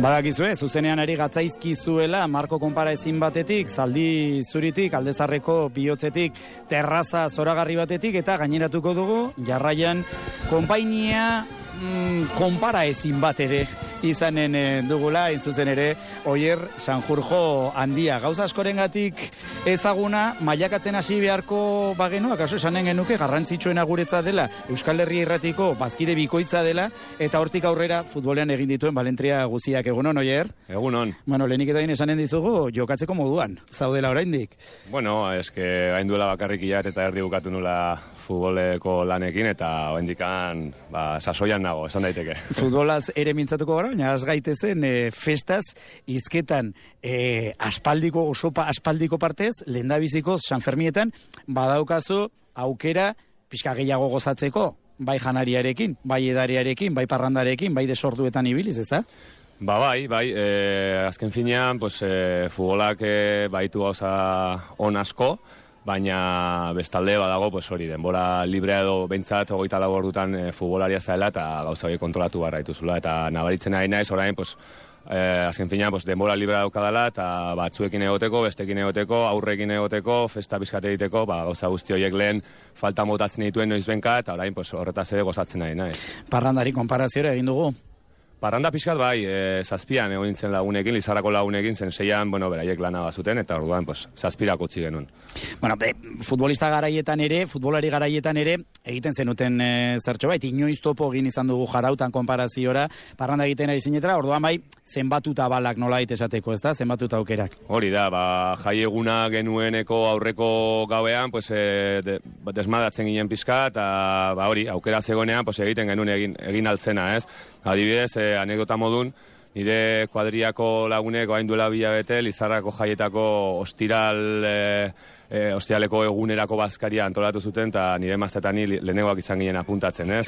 Badakizue, zuzenean ari gatzaizkizuela Marko konparaezin batetik, Zaldi Zuritik, Aldezarreko bihotzetik, terraza zoragarri batetik, eta gaineratuko dugu, jarraian konpainia konparaezin bat ere izanen dugula, zuzen ere, Oier Sanjurjo handia. Gauza askorengatik ezaguna, mailakatzen hasi beharko bagenu, akaso esanen genuke garrantzitsuena guretza dela, Euskal Herria Irratiko bazkide bikoitza dela, eta hortik aurrera futbolean egin dituen balentria guziak. Egunon, Oier? Egunon. Bueno, lehenik eta esanen dizugu, jokatzeko moduan, zaudela oraindik. Bueno, eske hain duela bakarrik ilat eta erdi bukatu nula futboleko lanekin, eta oraindikan sasoian nago, esan daiteke. Futbolaz ere mintzatuko gara, baina az gaitezen festaz, izketan aspaldiko, osopa aspaldiko partez, lehendabiziko Sanfermietan, badaukazu aukera pixka gehiago gozatzeko, bai janariarekin, bai edariarekin, bai parrandarekin, bai desorduetan ibiliz, ez da? Bai, azken finean, futbolak baitu gauza on asko, baina bestalde badago, hori, denbora librea edo behintzat 24 ordutan futbolaria zaela eta gauza hori kontrolatu barra dituzula, eta nabaritzen ari naiz, orain, azken finean, denbora librea daukadala, eta batzuekin egoteko, bestekin egoteko, aurrekin egoteko, festa bizkate egiteko, gauza guzti horiek lehen falta motatzen dituen noizbenka, eta orain horretaz ere gozatzen ari naiz. Parrandari konparazioa egin dugu? Parranda pixkat bai, zazpian egon nintzen lagunekin, Lizarrako lagunekin, zen seian, beraiek lana bazuten, eta orduan, zazpirak utzi genuen. Bueno, futbolari garaietan ere, egiten zenuten zertxo bait, inoiz topo egin izan dugu jarautan konparaziora, parranda egiten ari zinetara, orduan bai, zenbatuta balak nolait esateko, ez da, zenbatuta aukerak. Hori da, jai eguna genueneko aurreko gauean, desmadatzen ginen pixka, eta hori, aukera zegoenean, egiten genuen egin altzena, ez? Adibidez, anekdota modun, nire kuadriako lagunek hain duela bilabete, Lizarrako jaietako ostiraleko egunerako bazkaria antolatu zuten, eta nire maztetan lehenengoak izan ginen apuntatzen, ez?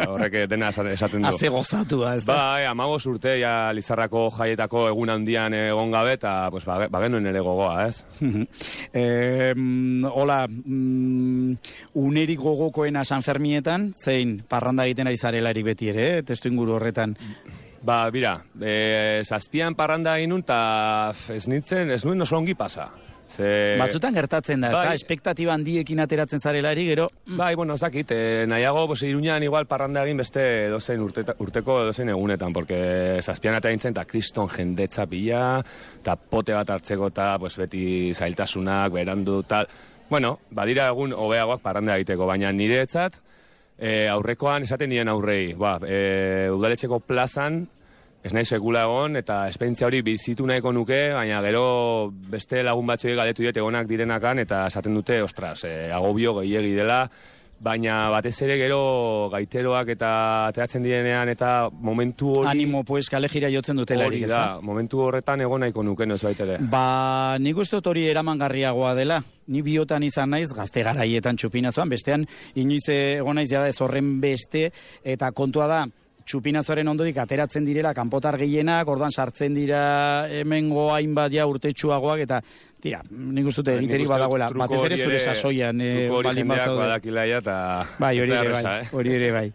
Horrek dena esaten du. Haze gozatua, ez da? Bai, 15 urte, Lizarrako jaietako egun handian egon gabe, eta bagenuen ere gogoa, ez? Hola, unerik gogokoena Sanfermietan, zein parranda egiten ari zarelarik beti ere, testu inguru horretan? Bira, zazpian parranda egin nun, eta ez nuen oso ongi pasa. Batzutan gertatzen da, ez da? Espektatiba handiekin ateratzen zarelari, gero... Bai, ez dakit, nahiago, Iruñan igual parranda egin beste dozein urteko dozein egunetan, porque zazpian eta gintzen, eta kriston jendetza pila, eta pote bat hartzeko, eta beti zailtasunak, berandu, tal... Bueno, badira egun hobeagoak parranda egiteko, baina niretzat, aurrekoan esaten nien aurrei, udaletxeko plazan, ez nahi sekula egon, eta esperientzia hori bizitu nahiko nuke, baina gero beste lagun batzuek galdetu diet egonak direnakan, eta esaten dute, ostras, agobio gehiegi dela, baina batez ere gero gaiteroak eta ateratzen direnean, eta momentu hori... Animo, kalejira jotzen dutelarik, ez da? Hori da, momentu horretan egon nahiko nuke, ez baitere. Nik uste dut hori eramangarriagoa dela. Ni biotan izan naiz, gazte garaietan txupinazoan, bestean inoiz egon naiz jada ez horren beste, eta kontua da, txupinazoaren ondodik ateratzen direla kanpotar gehienak, orduan sartzen dira hemengo hainbat urtetsuagoak, eta tira, nik uste dut egiterik badagoela, batez ere zure sasoian baldin bazaude. Bai, hori ere bai.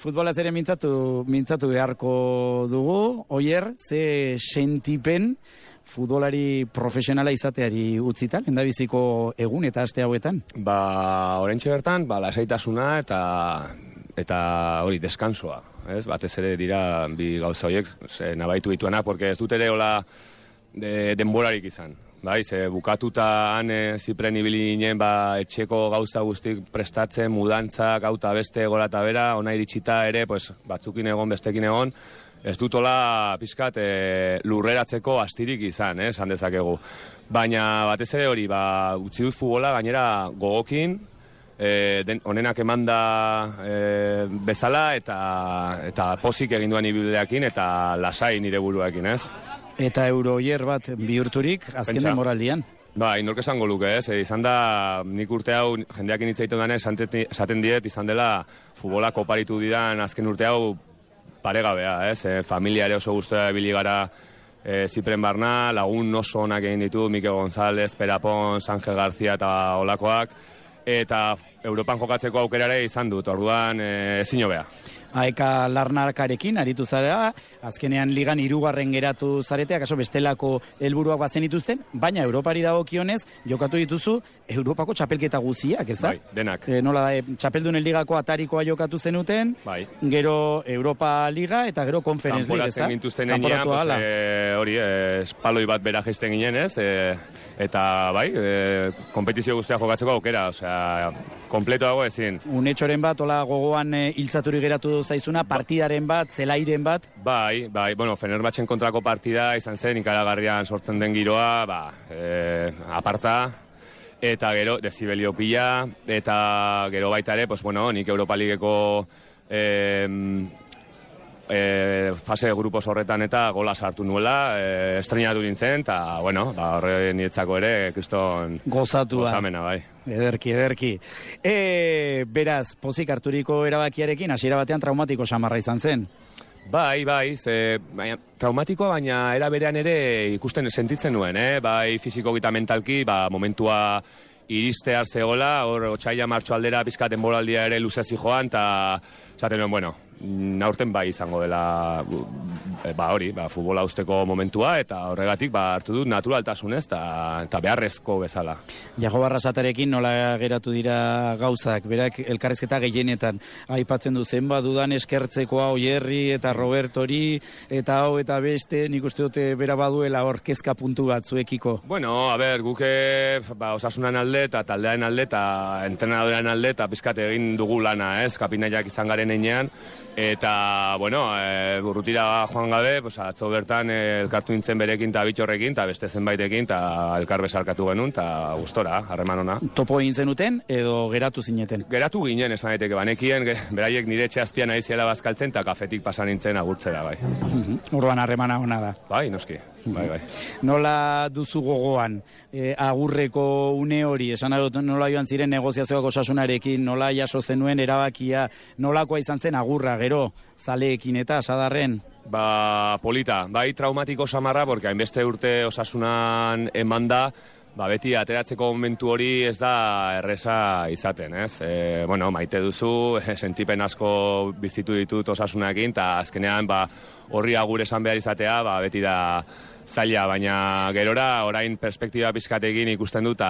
Futbolaz ere mintzatu beharko dugu, Oier, ze sentipen futbolari profesionala izateari utzita, lehendabiziko egun eta aste hauetan? Oraintxe bertan, lasaitasuna eta hori, deskansoa. Batez ere dira bi gauza horiek nabaitu dituenak, porque ez dut ere hola denborarik izan. Bukatuta han zipren ibili ginen etxeko gauza guztik prestatzen, mudantzak, gauta beste, gora eta bera, ona iritsita ere, batzukin egon, bestekin egon, ez dut hola pixkat lurreratzeko astirik izan, esan dezakegu. Baina batez ere hori, utzi dut futbola gainera gogokin, onenak emanda bezala eta pozik egin duan ibildeakin eta lasai nire buruakin, ez? Eta Euroier bat bihurturik azken demoraldian? Inork esango luke, ez? Izan da, nik urte hau jendeakin hitz egiten duen esaten diet, izan dela futbola koparitu didan azken urte hau paregabea, ez? Familiare oso guztua bili gara Zipren barna, lagun oso onak egin ditu, Mikel González, Perapon, Ángel García eta olakoak, eta Europan jokatzeko aukerare izan dut, orduan ezin hobea. Aeka Larnakarekin aritu zara, azkenean ligan 3. geratu zareteak, akaso bestelako helburuak bazenituzten, baina Europari dagokionez jokatu dituzu Europako txapelketa guziak, ez da? Bai, denak. Nola da, txapeldunen ligako atarikoa jokatu zenuten, bai. Gero Europa Liga eta gero Conference League, ez da? Kanporatzen gintuzten enean, hori, espaloi bat bera jaisten ginen, ez? Eta bai, kompetizio guztia jokatzeko aukera, osea, kompleto dago ezin. Unetxoren bat, hola gogoan hiltzaturi geratu zaizuna, partidaren bat, zelairen bat? Bai, bueno, Fenerbahtzen kontrako partida izan zen, ikaragarrian sortzen den giroa, aparta, eta gero, dezibelio pila, eta gero baita ere, pues bueno, nik Europa Ligeko fase grupos horretan eta gola sartu nuela, estrenatu nintzen, eta, bueno, horre niretzako ere, kriston gozamena, bai. Ederki. Beraz, pozik harturiko erabakiarekin, hasiera batean traumatiko samarra izan zen. Bai, traumatikoa, baina era berean ere ikusten sentitzen nuen, bai fiziko eta mentalki, momentua iristear zegoela, hor otsaila martxo aldera pizkat denboraldia ere luzezi joan, eta esaten nuen, bueno, aurten bai izango dela futbola usteko momentua, eta horregatik hartu dut naturaltasunez eta beharrezko bezala. Jago Barrasatarekin nola geratu dira gauzak, berak elkarrizketa gehienetan aipatzen du zenbat dudan eskertzekoa Oierri eta Robertori eta hau eta beste, nik uste dute bera baduela hor kezka puntu bat zuekiko. Bueno, guke osasunan alde eta taldearen alde eta entrenadorean alde eta pizkat egin dugu lana, kapinaiak izan garen einean. Eta, bueno, urrutira joan gabe, atzo bertan elkartu nintzen berekin eta bitxorrekin, eta beste zenbaitekin, eta elkar bezarkatu genuen, eta gustora, harreman ona. Topo egin zenuten, edo geratu zineten? Geratu ginen, esan daiteke, banekien, beraiek nire etxe azpian aiziela bazkaltzen, eta kafetik pasan nintzen agurtzera, bai. Urban harremana ona da. Bai, noski. Bai. Nola duzu gogoan agurreko une hori, esan dut nola joan ziren negoziazioak Osasunarekin, nola jaso zenuen erabakia, nolakoa izan zen agurra, gero, zaleekin eta sadarren? Polita, bai traumatiko samarra, porque hainbeste urte Osasunan emanda, beti ateratzeko momentu hori ez da erresa izaten, ez? Bueno, maite duzu, sentipen asko bizitu ditut Osasunarekin, eta azkenean horri agur esan behar izatea, beti da zaila, baina gerora orain perspektiba pizkatekin ikusten dut,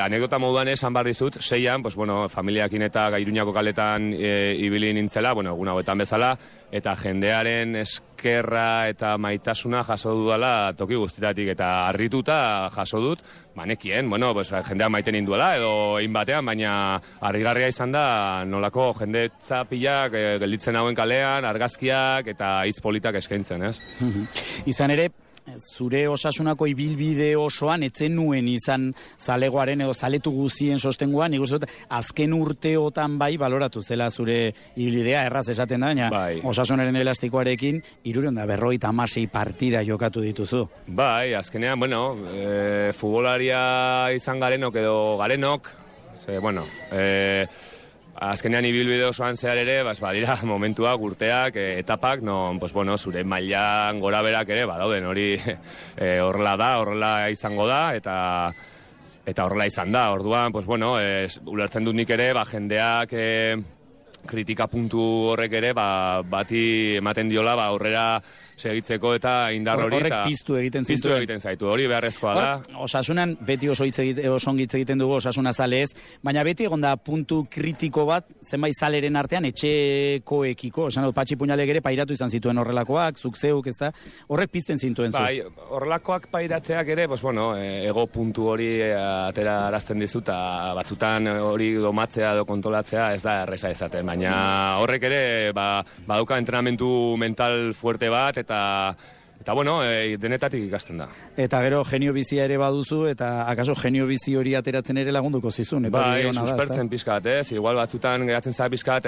anekdota moduan esan behar dizut, 6an, familiakin eta Iruñako kaletan ibili nintzela, egun hauetan bezala, eta jendearen eskerra eta maitasuna jaso dudala toki guztitatik, eta harrituta jaso dut, nekien, jendea maiten induela, edo egin batean, baina harrigarria izan da, nolako jende zapilak gelditzen hauen kalean, argazkiak eta hitz politak eskaintzen, ez? Izan ere, zure Osasunako ibilbide osoan etzen nuen izan zalegoaren edo zaletu guzien sostengoan, nik uste dut azken urteotan baloratu zela zure ibilbidea, erraz esaten da, baina Osasunaren elastikoarekin 356 partida jokatu dituzu. Bai, azkenean, futbolaria izan garenok edo garenok, azkenean ibilbide osoan zehar ere, badira momentuak, urteak, etapak, zure mailan gora berak ere, badauden hori horrela da, horrela izango da, eta horrela izan da. Orduan, ulertzen dut nik ere, jendeak kritika puntu horrek ere, bati ematen diola, aurrera segitzeko eta indar hori. Horrek piztu egiten zaitu, hori beharrezkoa da. Osasunan, beti oso ongitz egiten dugu Osasuna zalez, baina beti egonda puntu kritiko bat, zenbait zaleren artean, etxekoekiko, esan dut, Patxi Puñalek ere pairatu izan zituen horrelakoak, zuk zeuk, ez da, horrek pizten zintuen zu. Bai, horrelakoak pairatzeak ere, ego puntu hori atera arazten dizu, eta batzutan hori domatzea edo kontrolatzea ez da erresa ezaten, baina horrek ere, badauka entrenamentu mental fuerte bat, eta denetatik ikasten da. Eta gero genio bizia ere baduzu, eta akaso genio bizi hori ateratzen ere lagunduko zizun. Suspertzen pizkat, igual batzutan geratzen zara pizkat,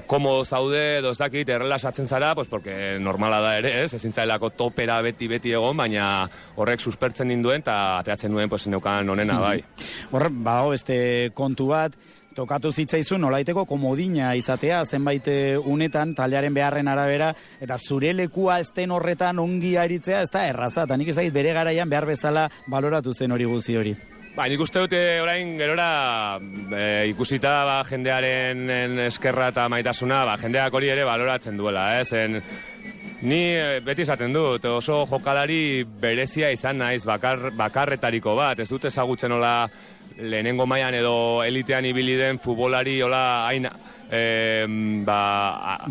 komo zaude, dozdakit, errelasatzen zara, porque normala da ere, ezin zailako topera beti egon, baina horrek suspertzen ninduen, eta ateratzen nuen neukan onena, bai. Horrek, beste kontu bat, tokatu zitzaizun nolaiteko komodina izatea zenbait unetan taldearen beharren arabera, eta zure lekua ezten horretan ongi aritzea ez da erraza, eta nik ez dakit bere garaian behar bezala baloratu zen hori guzi hori. Nik uste dute orain gerora ikusita jendearen eskerra eta maitasuna, jendeak hori ere baloratzen duela, Ni beti esaten dut, oso jokalari berezia izan naiz, bakarretariko bat, ez dut ezagutzen hola lehenengo mailan edo elitean ibili den futbolari hola hain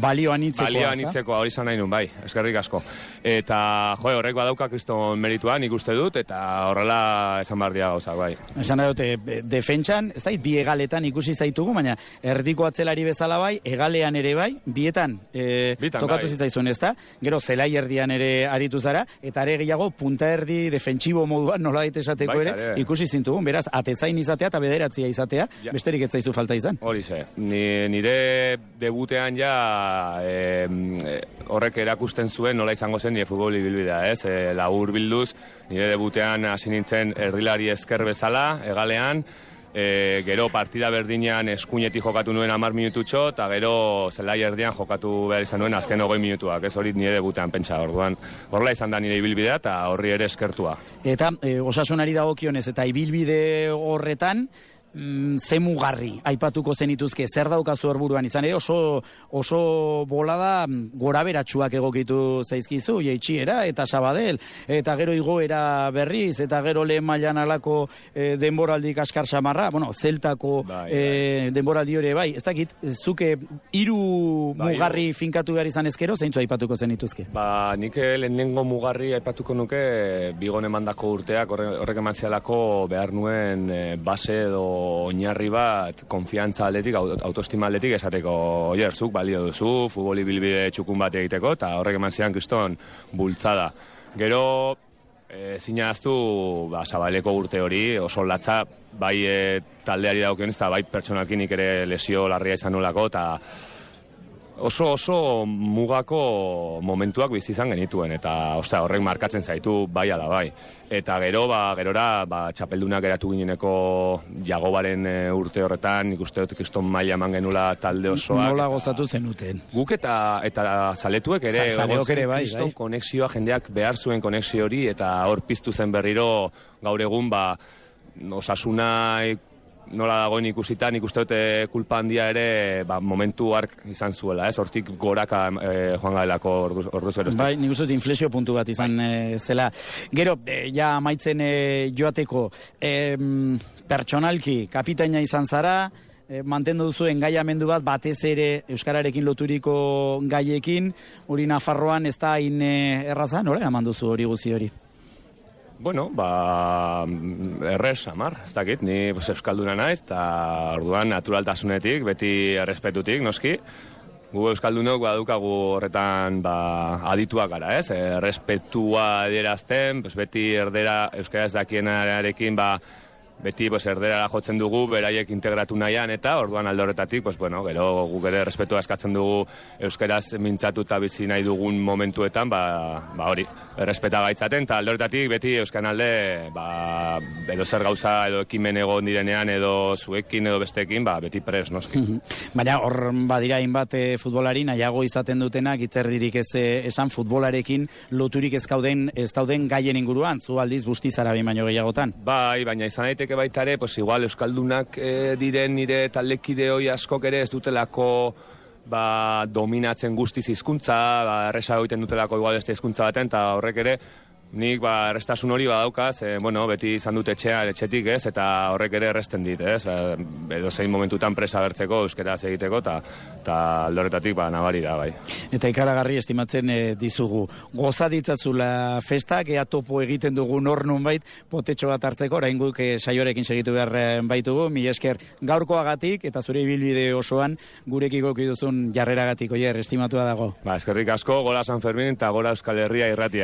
balio anitzeko hori izan nahi nun, bai, eskerrik asko. Eta, horrek badauka kriston meritua, nik uste dut, eta horrela esan behar dira gauzak, bai. Esan nahi dute, defentsan, ez da, bi egaletan ikusi zaitugu, baina erdiko atzelari bezala bai, egalean ere bai, bietan tokatu zitzaizun, ez da? Gero, zelai erdian ere aritu zara, eta are gehiago, punta erdi defentsibo moduan nola daite esateko ere, ikusi zintugun, beraz, atezain izatea eta bederatzia izatea, besterik ez zaizu falta izan. Hori ze, nire debutean ja horrek erakusten zuen nola izango zen nire futbol ibilbidea, labur bilduz, nire debutean hasi nintzen erdilari esker bezala, egalean, gero partida berdinean eskuinetik jokatu nuen 10 minututxo, eta gero zelai erdian jokatu behar izan nuen azken 20 minutuak, hori nire debutean pentsa, orduan horrela izan da nire ibilbidea eta horri ere eskertua. Eta osasunari dagokionez eta ibilbide horretan, ze mugarri aipatuko zenituzke, zer daukazu horburuan izan ere, oso bolada goraberatsuak egokitu zaizkizu, Jeitsiera eta Sabadell, eta gero igoera Berriz, eta gero lehen mailan alako denboraldi kaskar samarra, zeltako denboraldi hori bai, ez dakit, zuke 3 mugarri finkatu behar izan ezkero, zeintzu aipatuko zenituzke? Nik lehenengo mugarri aipatuko nuke bigon emandako urteak, horrek eman zialako behar nuen base edo oinarri bat, konfiantza aldetik, autoestima aldetik esateko, zuk balio duzu, futbol ibilbide txukun bat egiteko, eta horrek eman zian kriston bultzada. Gero, zinaztu, Zabaleko urte hori, oso latza, bai taldeari daukionez, eta bai pertsonalkinik ere lesio larria izan nolako, eta oso mugako momentuak bizi izan genituen, eta horrek markatzen zaitu bai ala bai. Eta gerora txapeldunak geratu gineneko Jagobaren urte horretan, nik uste dut kriston maila eman genula talde osoak. Nola gozatu zenuten? Guk eta zaletuek ere, kriston konexioa, jendeak behar zuen konexio hori, eta hor piztu zen berriro gaur egun osasuna nola dagoen ikusita, nik uste dute kulpa handia ere momentu hark izan zuela, hortik goraka joan gaelako orduz geroztik. Bai, nik uste dut inflexio puntu bat izan zela. Gero, ja amaitzen joateko, pertsonalki, kapitaina izan zara, mantendu duzu engaiamendu bat batez ere euskararekin loturiko gaiekin, hori Nafarroan ez da hain erraza, nola eraman duzu hori guzi hori? Errez, amar, ez dakit, ni euskalduna naiz, eta orduan naturaltasunetik, beti errespetutik, noski, gu euskaldunok badukagu horretan adituak gara, errespetua adierazten, beti euskaraz dakienarekin, beti erderara jotzen dugu, beraiek integratu nahian, eta orduan alde horretatik, gero guk ere respetua eskatzen dugu euskaraz mintzatu eta bizi nahi dugun momentuetan, hori, errespeta gaitzaten, eta alde horretatik beti euskan alde, edo zer gauza, edo ekimen egon direnean, edo zuekin, edo besteekin, beti pres, noski. Baina hor badira hainbat futbolari, nahiago izaten dutenak, itzerdirik ez esan futbolarekin loturik ez dauden gaien inguruan, zu aldiz bustizara baino gehiagotan. Bai, baina izan daiteke baita ere, igual euskaldunak diren nire taldekide hoi askok ere ez dutelako dominatzen guztiz hizkuntza, erresa egiten dutelako igual beste hizkuntza baten, eta horrek ere nik errestasun hori badaukaz, beti izan dut etxetik ez, eta horrek ere erresten dit, ez, edo zein momentutan presa bertzeko, euskeraz egiteko, eta aldoretatik nabari da, bai. Eta ikaragarri estimatzen dizugu. Goza ditzazula festak, ea topo egiten dugu nor nunbait, potetxo bat hartzeko, orain guk saioarekin segitu behar baitugu, mila esker gaurkoagatik, eta zure ibilbide osoan gurekiko duzun jarreragatik, oier, estimatua dago. Eskerrik asko, gora San Fermin, eta gora Euskal Herria irratia.